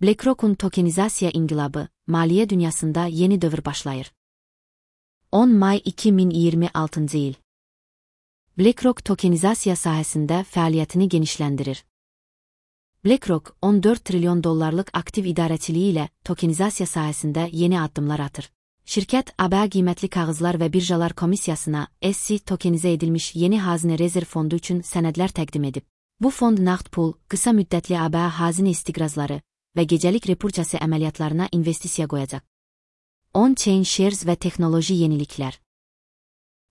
BlackRock'un tokenizasiya inqilabı, maliyyə dünyasında yeni dövr başlayır. 10 may 2026 il. BlackRock tokenizasiya sahəsində fəaliyyətini genişləndirir. BlackRock, 14 trilyon dollarlıq aktiv idarəçiliyi ilə tokenizasiya sahəsində yeni addımlar atır. Şirkət, ABA qiymətli kağızlar və birjalar komissiyasına SEC tokenizə edilmiş yeni hazine rezerv fondu üçün sənədlər təqdim edib. Bu fond nağd pul, qısa müddətli ABA hazine istiqrazları və gecəlik repursiya əməliyyatlarına investisiya qoyacaq. On-chain shares və texnoloji yeniliklər.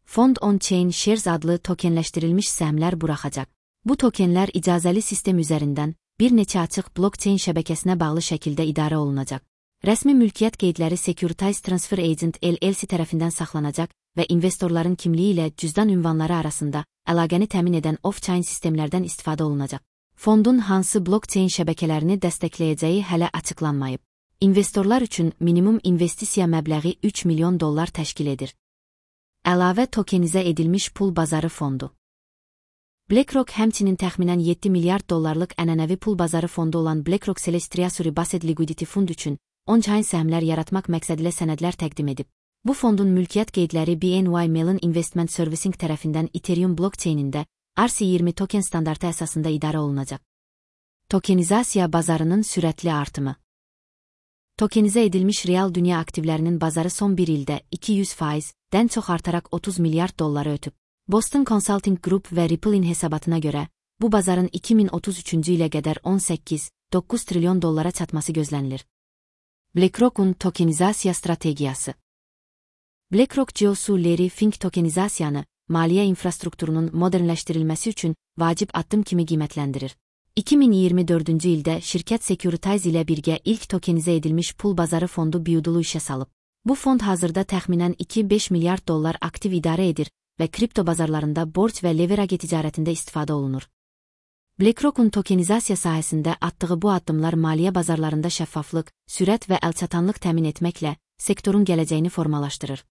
Fond On-chain shares adlı tokenləşdirilmiş səhmlər buraxacaq. Bu tokenlər icazəli sistem üzərindən bir neçə açıq blockchain şəbəkəsinə bağlı şəkildə idarə olunacaq. Rəsmi mülkiyyət qeydləri Securities Transfer Agent LLC tərəfindən saxlanacaq və investorların kimliyi ilə cüzdan ünvanları arasında əlaqəni təmin edən off-chain sistemlərdən istifadə olunacaq. Fondun hansı blockchain şəbəkələrini dəstəkləyəcəyi hələ açıqlanmayıb. İnvestorlar üçün minimum investisiya məbləği 3 milyon dollar təşkil edir. Əlavə tokenizə edilmiş pul bazarı fondu. BlackRock həmçinin təxminən 7 milyard dollarlıq ənənəvi pul bazarı fondu olan BlackRock Celestial Based Liquidity Fund üçün on-chain səhmlər yaratmaq məqsədilə sənədlər təqdim edib. Bu fondun mülkiyyət qeydləri BNY Mellon Investment Servicing tərəfindən Ethereum blockchainində RC20 token standartı əsasında idarə olunacaq. Tokenizasiya bazarının sürətli artımı. Tokenizə edilmiş real dünya aktivlərinin bazarı son bir ildə 200%-dən çox artaraq 30 milyard dolları ötüb. Boston Consulting Group və Ripple'in hesabatına görə, bu bazarın 2033-cü ilə qədər 18,9 trilyon dollara çatması gözlənilir. BlackRock'un tokenizasiya strategiyası. BlackRock CEO-su Larry Fink tokenizasiyanı, maliyyə infrastrukturunun modernləşdirilməsi üçün vacib addım kimi qiymətləndirir. 2024-cü ildə şirkət Securities ilə birgə ilk tokenizə edilmiş pul bazarı fondu Build'u işə salıb. Bu fond hazırda təxminən 2,5 milyard dollar aktiv idarə edir və kripto bazarlarında borc və leverage ticarətində istifadə olunur. BlackRock'un tokenizasiya sahəsində atdığı bu addımlar maliyyə bazarlarında şəffaflıq, sürət və əlçatanlıq təmin etməklə sektorun gələcəyini formalaşdırır.